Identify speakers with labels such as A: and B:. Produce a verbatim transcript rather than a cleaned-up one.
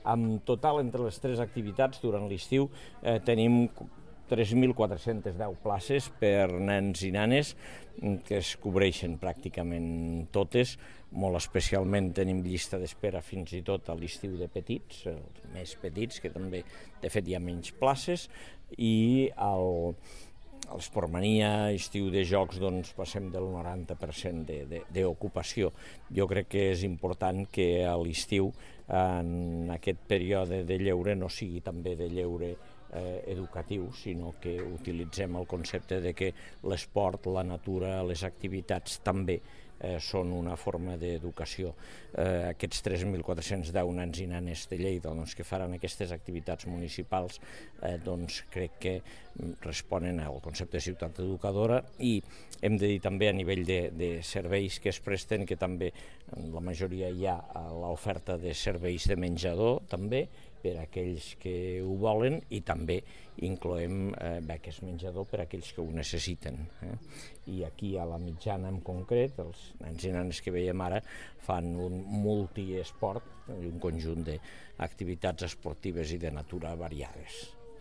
A: En total, entre les tres activitats, durant l'estiu, eh, tenim tres mil quatre-cents deu places per nens i nenes que es cobreixen pràcticament totes. Molt especialment tenim llista d'espera fins i tot a l'estiu de petits, els més petits, que també de fet hi ha menys places, i al, a l'Esportmania, estiu de jocs, doncs passem del noranta per cent d'ocupació. Jo crec que és important que a l'estiu, en aquest període de lleure, no sigui també de lleure Eh, educatiu, sinó que utilitzem el concepte de que l'esport, la natura, les activitats també eh, són una forma d'educació. Eh, aquests tres mil quatre-cents deu nens i nenes de Lleida doncs, que faran aquestes activitats municipals eh, doncs, crec que responen al concepte de ciutat educadora, i hem de dir també a nivell de, de serveis que es presten, que també en la majoria hi ha l'oferta de serveis de menjador també per a aquells que ho volen, i també incloem eh, beques menjador per a aquells que ho necessiten. Eh? I aquí a la mitjana en concret, els nens i nenes que veiem ara fan un multiesport, un conjunt d'activitats esportives i de natura variades.